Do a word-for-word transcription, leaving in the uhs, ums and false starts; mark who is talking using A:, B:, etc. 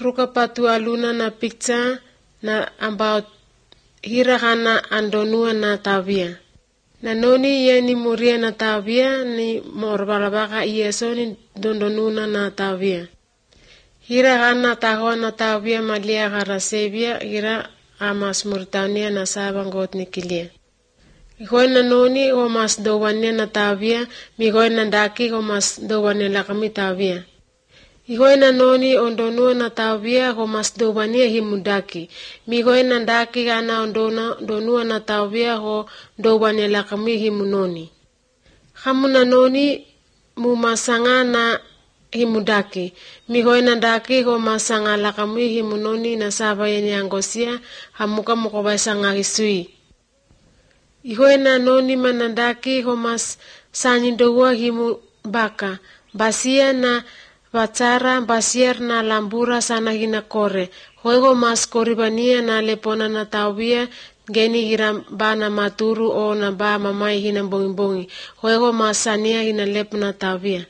A: Rukapatu aluna na picture na about hirakana andonua na tavia. Na noni ye ni muria na tavia ni morbalabaka ieso ni dondonuna na tavia. Hirakana tahoa na tavia malia karasevia hira amas Mauritania na sabangot ni kilia. Ikoy na noni o mas dowania na tavia, migoy na daki o mas dowania lakami tavia. Ikoy na noni ondonua na tavia o mas dowania himudaki. Migoy na daki gana ondona donua na tavia o dowania lakami himunoni. Kamu na noni mumasanga na himudaki. Migoy na daki o masanga lakami himunoni na sabayeni angosia hamuka mukobay sanga hisui. Ikoy na noni manandaki o mas sanyidowa himu baka. Basia na Batara basier na lambura sana hina kore. Hoego mas koribania na lepona na tawia geni hira ba na maturu o na ba mamai hina bongi bongi. Hoego mas sania hina lep na tawia.